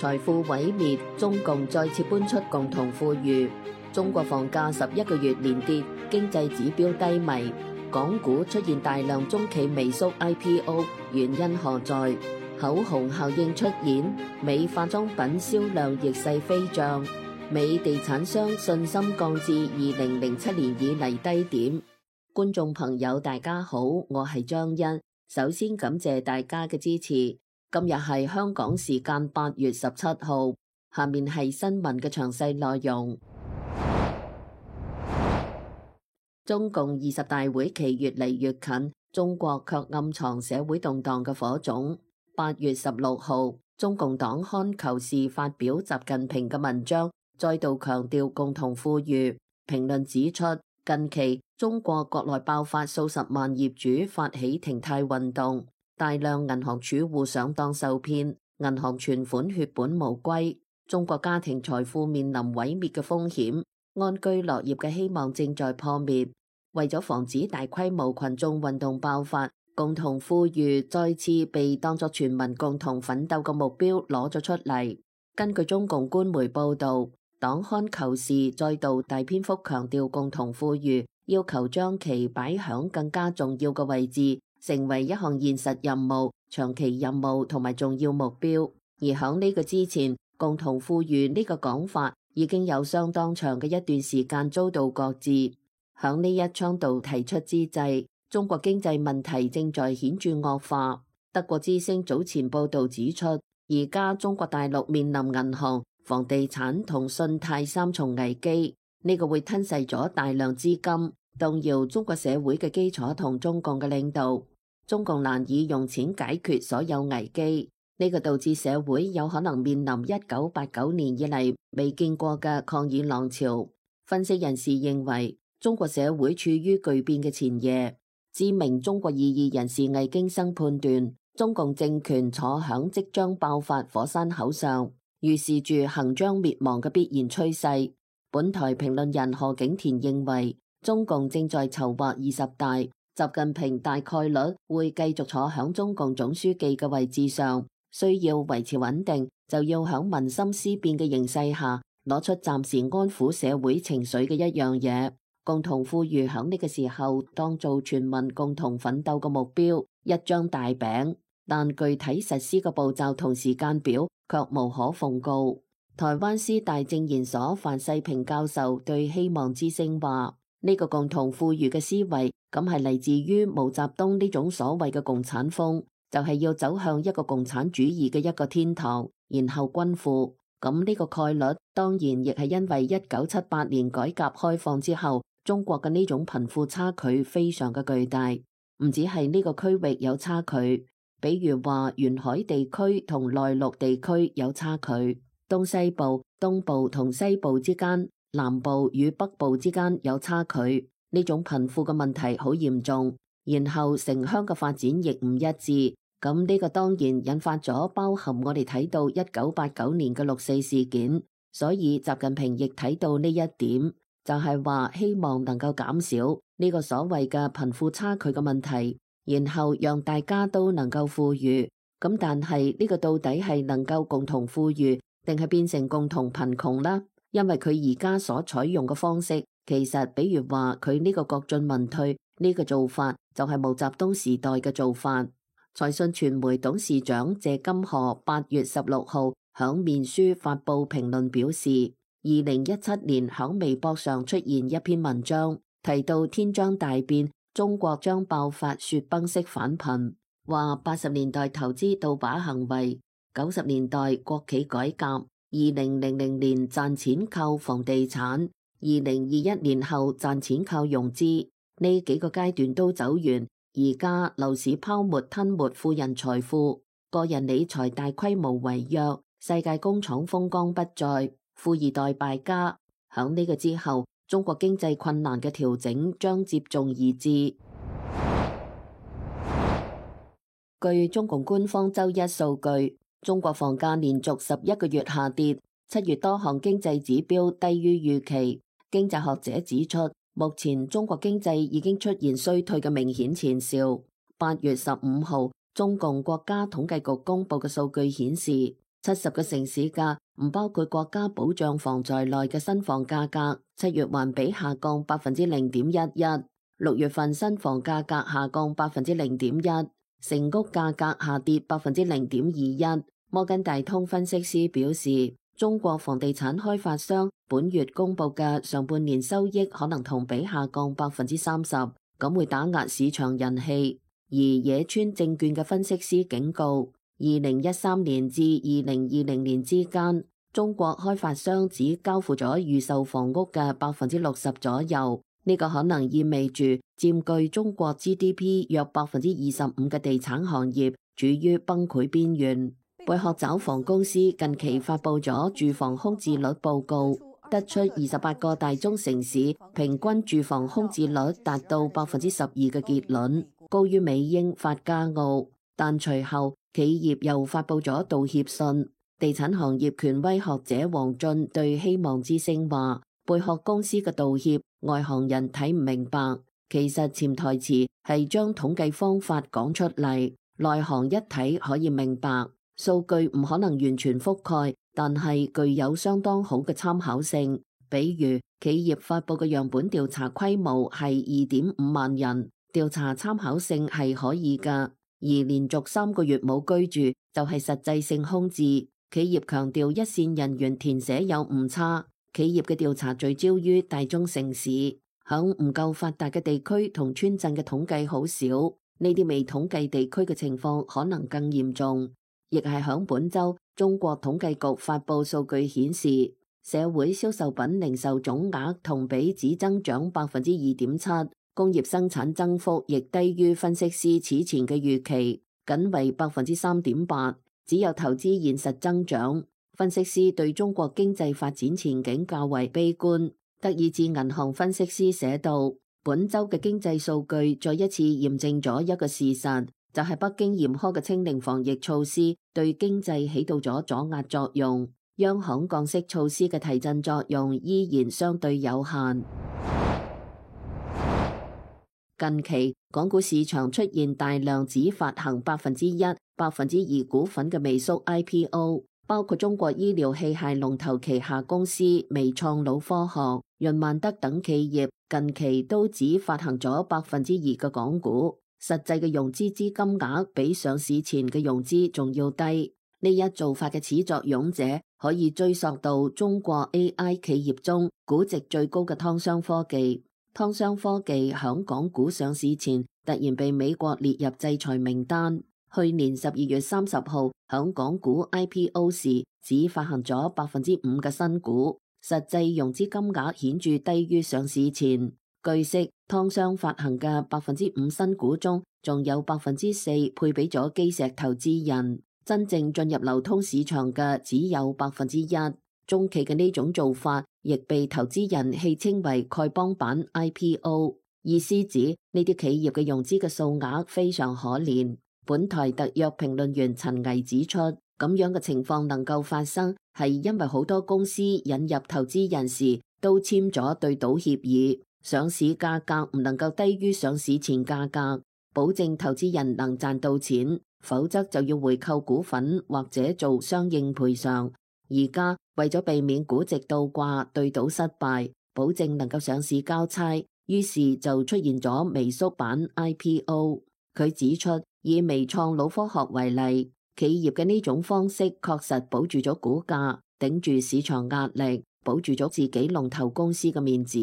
財富毀滅，中共再次搬出共同富裕。中國房價11個月連跌，經濟指標低迷。港股出現大量中企微縮 IPO， 原因何在？口紅效應出現，美化妝品銷量逆勢飛漲，美地產商信心降至2007年以嚟低點。觀眾朋友大家好，我係張欣，首先感謝大家嘅支持。今日係香港時間8月17號，下面係新聞嘅詳細內容。中共20大會期越嚟越近，中國卻暗藏社會動盪嘅火種。8月16號，中共黨刊《求是》發表習近平嘅文章，再度強調共同富裕。評論指出，近期中國國內爆發數十萬業主發起停貸運動，大量銀行儲戶上當受騙，銀行存款血本無歸，中國家庭財富面臨毀滅嘅風險，安居樂業嘅希望正在破滅。為咗防止大規模群眾運動爆發，共同富裕再次被當作全民共同奮鬥嘅目標攞咗出嚟。根據中共官媒報導，黨刊《求是》再度大篇幅強調共同富裕，要求將其擺響更加重要嘅位置，成為一項現實任務、長期任務同埋重要目標。而響呢個之前，共同富裕呢個講法已經有相當長嘅一段時間遭到擱置。響呢一倡導提出之際，中國經濟問題正在顯著惡化。德國之聲早前報導指出，而家中國大陸面臨銀行、房地產同信貸三重危機，呢個會吞噬咗大量資金，動搖中國社會嘅基礎同中共嘅領導。中共難以用錢解決所有危機，呢個導致社會有可能面臨1989年以嚟未見過嘅抗議浪潮。分析人士認為，中國社會處於巨變嘅前夜。知名中國異議人士魏京生判斷，中共政權坐響即將爆發火山口上，預示住行將滅亡嘅必然趨勢。本台評論人何景田認為，中共正在籌劃20大，習近平大概率會繼續坐響中共總書記嘅位置上，需要維持穩定，就要響民心思變嘅形勢下，攞出暫時安撫社會情緒嘅一樣嘢。共同富裕響呢個時候當做全民共同奮鬥嘅目標，一張大餅，但具體實施嘅步驟同時間表卻無可奉告。台灣師大政研所范世平教授對希望之聲話：呢個共同富裕嘅思維，咁係嚟自於毛澤東呢種所謂嘅共產風，就係要走向一個共產主義嘅一個天堂，然後均富。咁呢個概率當然亦係因為1978年改革開放之後，中國嘅呢種貧富差距非常嘅巨大，唔止係呢個區域有差距，比如話沿海地區同內陸地區有差距，東西部、東部同西部之間、南部與北部之間有差距，呢種貧富嘅問題好嚴重。然後城鄉嘅發展亦唔一致，咁呢個當然引發咗包含我哋睇到1989年嘅六四事件，所以習近平亦睇到呢一點。就係話希望能夠減少呢個所謂嘅貧富差距嘅問題，然後讓大家都能夠富裕。咁但係呢個到底係能夠共同富裕，定係變成共同貧窮啦？因為佢而家所採用嘅方式，其實比如話佢呢個國進民退呢個做法，就係毛澤東時代嘅做法。財訊傳媒董事長謝金河8月16號響面書發佈評論表示，2017年響微博上出現一篇文章，提到天將大變，中國將爆發雪崩式返貧，話80年代投資倒把行為，90年代國企改革，2000年賺錢靠房地產，2021年後賺錢靠融資，呢幾個階段都走完，而家樓市泡沫吞沒富人財富，個人理財大規模違約，世界工廠風光不再，富二代敗家。響呢個之後，中國經濟困難嘅調整將接踵而至。據中共官方周一數據，中國房價連續11個月下跌，7月多項經濟指標低於預期。經濟學者指出，目前中國經濟已經出現衰退嘅明顯前兆。8月15號，中共國家統計局公布嘅數據顯示， 70個城市嘅唔包括國家保障房在內嘅新房價格，7月環比下降0.11%， 6月份新房價格下降0.1%，成屋價格下跌0.21%。摩根大通分析師表示，中國房地產開發商本月公布嘅上半年收益可能同比下降30%，咁會打壓市場人氣。而野村證券嘅分析師警告，2013年至2020年之間，中國開發商只交付咗預售房屋嘅60%左右，呢個可能意味住佔據中國 GDP 約25%嘅地產行業處於崩潰邊緣。貝殼找房公司近期發布咗住房空置率報告，得出28個大中城市平均住房空置率達到12%嘅結論，高於美英法加澳。但隨後企業又發布咗道歉信。地產行業權威學者王俊對希望之聲話，貝殼公司嘅道歉外行人睇唔明白，其實潛台詞係將統計方法講出嚟，內行一睇可以明白。數據唔可能完全覆蓋，但係具有相當好嘅參考性。比如企業發布嘅樣本調查規模係2.5萬人，調查參考性係可以㗎。而連續3個月冇居住就係實際性空置。企業強調一線人員填寫有誤差。企業嘅調查聚焦於大中城市，響唔夠發達嘅地區同村鎮嘅統計好少，呢啲未統計地區嘅情況可能更嚴重。亦係響本週，中國統計局發布數據顯示，社會銷售品零售總額同比只增長2.7%，工業生產增幅亦低於分析師此前嘅預期，僅為3.8%，只有投資現實增長。分析師對中國經濟發展前景較為悲觀。德意志銀行分析師寫道，本週嘅經濟數據再一次驗證咗一個事實，就係北京嚴苛嘅清零防疫措施對經濟起到咗阻壓作用，央行降息措施嘅提振作用依然相對有限。近期港股市場出現大量只發行1%、2%股份嘅微縮 IPO， 包括中國醫療器械龍頭旗下公司微創腦科學、潤萬德等企業，近期都只發行咗2%嘅港股。實際嘅融資資金額比上市前嘅融資仲要低，呢一做法嘅始作俑者可以追溯到中國 AI 企業中估值最高嘅湯商科技。湯商科技響港股上市前突然被美國列入制裁名單，去年12月30號響港股 IPO 時只發行咗5%嘅新股，實際融資金額顯著低於上市前。據悉，湯商發行嘅5%新股中，仲有4%配俾咗基石投資人，真正進入流通市場嘅只有1%。中期嘅呢種做法，亦被投資人戲稱為丐幫版 IPO， 意思指呢啲企業嘅融資嘅數額非常可憐。本台特約評論員陳毅指出，咁樣嘅情況能夠發生，係因為好多公司引入投資人時都簽咗對賭協議。上市價格唔能夠低於上市前價格，保證投資人能賺到錢，否則就要回購股份或者做相應賠償。而家為咗避免估值倒掛、對賭失敗，保證能夠上市交差，於是就出現咗微縮版 IPO。佢指出，以微創腦科學為例，企業嘅呢種方式確實保住咗股價，頂住市場壓力，保住咗自己龍頭公司嘅面子。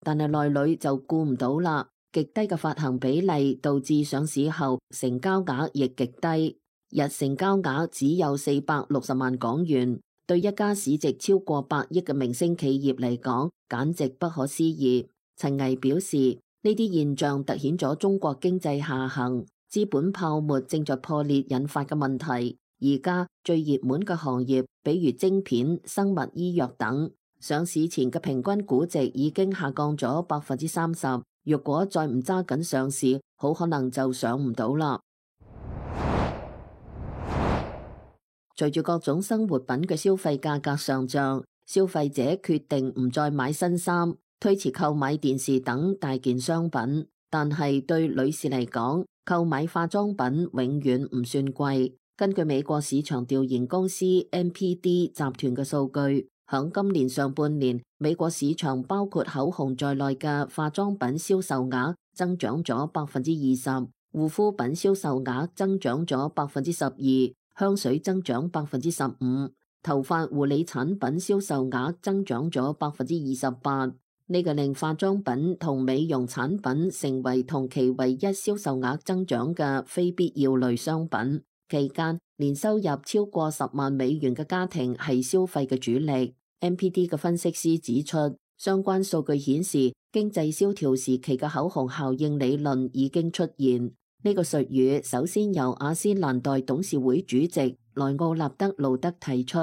但係內裏就顧唔到啦，極低嘅發行比例導致上市後成交額亦極低，日成交額只有460萬港元，對一家市值超過100億嘅明星企業嚟講，簡直不可思議。陳毅表示，呢啲現象凸顯咗中國經濟下行、資本泡沫正在破裂引發嘅問題。而家最熱門嘅行業，比如晶片、生物醫藥等，上市前嘅平均估值已經下降咗30%，若果再唔揸緊上市，好可能就上唔到啦。隨住各種生活品嘅消費價格上漲，消費者決定唔再買新衫，推遲購買電視等大件商品。但係對女士嚟講，購買化妝品永遠唔算貴。根據美國市場調研公司 NPD 集團嘅數據，響今年上半年，美國市場包括口紅在內嘅化妝品銷售額增長咗20%，護膚品銷售額增長咗12%，香水增長15%，頭髮護理產品銷售額增長咗28%。呢個令化妝品同美容產品成為同期唯一銷售額增長嘅非必要類商品。期間，年收入超過10萬美元嘅家庭係消費嘅主力。NPD 嘅分析師指出，相關數據顯示，經濟蕭條時期嘅口紅效應理論已經出現。呢個術語首先由雅詩蘭黛董事會主席萊奧納德路德提出，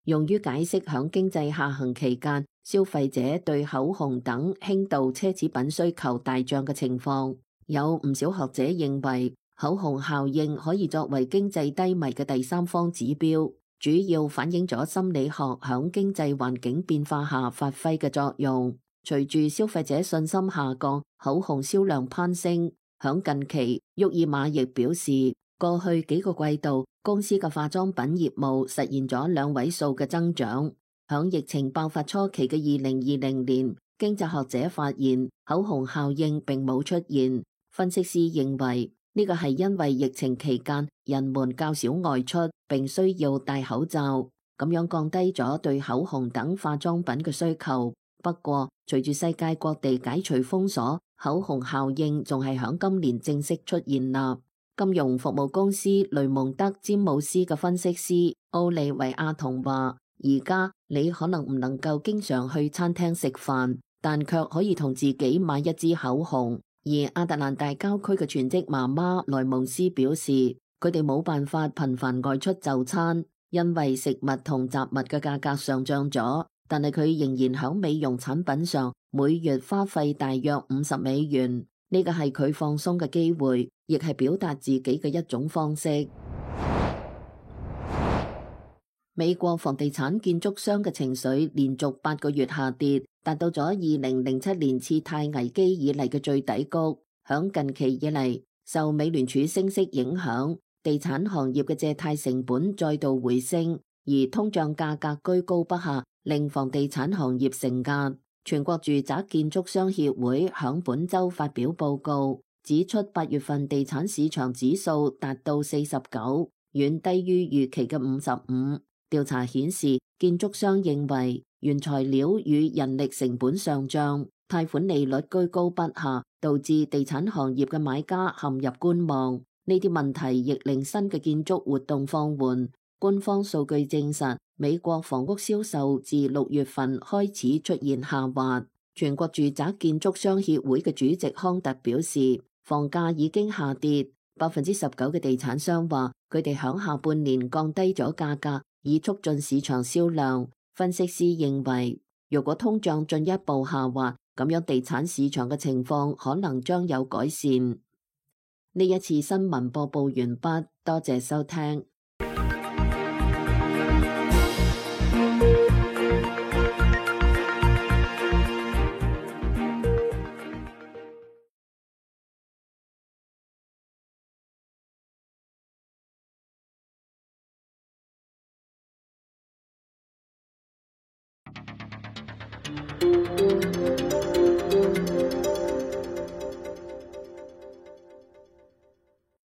用於解釋響經濟下行期間消費者對口紅等輕度奢侈品需求大漲嘅情況。有唔少學者認為，口紅效應可以作為經濟低迷嘅第三方指標，主要反映咗心理學響經濟環境變化下發揮嘅作用。隨住消費者信心下降，口紅銷量攀升。響近期，沃爾瑪亦表示，過去幾個季度公司嘅化妝品業務實現咗2位數嘅增長。響疫情爆發初期嘅2020年，經濟學者發現口紅效應並冇出現。分析師認為，呢個係因為疫情期間人們較少外出，並需要戴口罩，咁樣降低咗對口紅等化妝品嘅需求。不過，隨住世界各地解除封鎖，口紅效應仲係響今年正式出現啦。金融服務公司雷蒙德詹姆斯嘅分析師奧利維亞同話，而家你可能唔能夠經常去餐廳食飯，但卻可以同自己買一支口紅。而亞特蘭大郊區嘅全職媽媽萊蒙斯表示，佢哋冇辦法頻繁外出就餐，因為食物同雜物嘅價格上漲咗。但係佢仍然響美容產品上每月花費大約50美元，呢個係佢放鬆嘅機會，亦係表達自己嘅一種方式。美國房地產建築商嘅情緒連續8個月下跌，達到咗2007年次貸危機以嚟嘅最低谷。響近期以嚟，受美聯儲升息影響，地產行業嘅借貸成本再度回升，而通脹價格居高不下，令房地產行業承壓。全國住宅建築商協會響本周發表報告，指出8月份地產市場指數達到49，遠低於預期嘅55。調查顯示，建築商認為原材料與人力成本上漲，貸款利率居高不下，導致地產行業嘅買家陷入觀望。呢啲問題亦令新嘅建築活動放緩。官方數據證實，美國房屋銷售自6月份開始出現下滑。全國住宅建築商協會嘅主席康特表示，房價已經下跌。19%嘅地產商話，佢哋響下半年降低咗價格，以促進市場銷量。分析師認為，如果通脹進一步下滑，咁樣地產市場嘅情況可能將有改善。呢一次新聞播報完畢，多謝收聽。